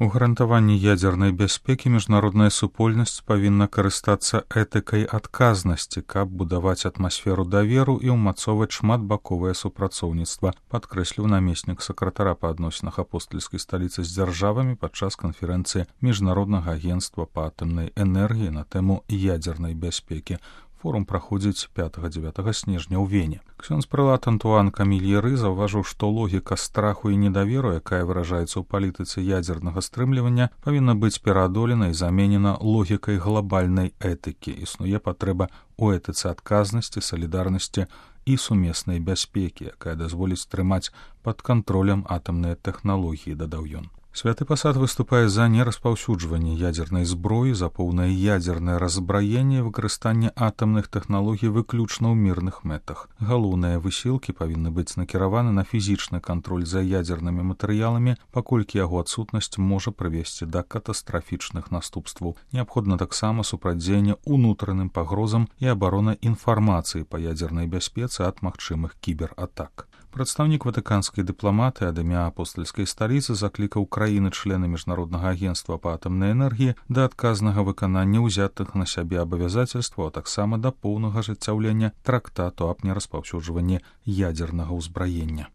У гарантаванні ядзернай бяспекі міжнародная супольнасць павінна карыстацца этыкай адказнасці, каб будаваць атмасферу даверу і ўмацоўваць шматбаковае супрацоўніцтва, падкрэсліў намеснік сакратара па адносінах апостальскай сталіцы з дзяржавамі падчас канферэнцыі Міжнароднага агенцтва па атамнай энергіі на тэму ядзернай бяспекі. Форум праходзіць 5-9 снежня ў Вене. Ксёндз-прэлат Антуан Камільеры заўважыў, што логіка страху і недаверу, якая выражаецца ў палітыцы ядзернага стрымлівання, павінна быць пераадолена і заменена логікай глобальнай этыкі. Існуе патрэба ў этыцы адказнасці, салідарнасці і сумеснай бяспекі, якая дазволіць трымаць пад кантролем атамныя тэхналогіі, дадаў ён. Святы пасад выступае за нераспаўсюджванне ядзернай зброі, за поўнае ядзернае раззбраенне і выкарыстанне атамных тэхналогій выключна ў мірных мэтах. Галоўныя высілкі павінны быць накіраваны на фізічны кантроль за ядзернымі матэрыяламі, паколькі яго адсутнасць можа прывесці да катастрафічных наступстваў. Неабходна таксама супрацьдзеянне ўнутраным пагрозам і абарона інфармацыі па ядзернай бяспецы ад магчымых кібератак. Прадстаўнік ватыканскай дыпламаты ад імя апостальскай сталіцы заклікаў краіны-члены Міжнароднага агенцтва па атамнай энергіі да адказнага выканання ўзятых на сябе абавязацельстваў, а таксама да поўнага ажыццяўлення трактату аб нераспаўсюджванні ядзернага ўзбраення.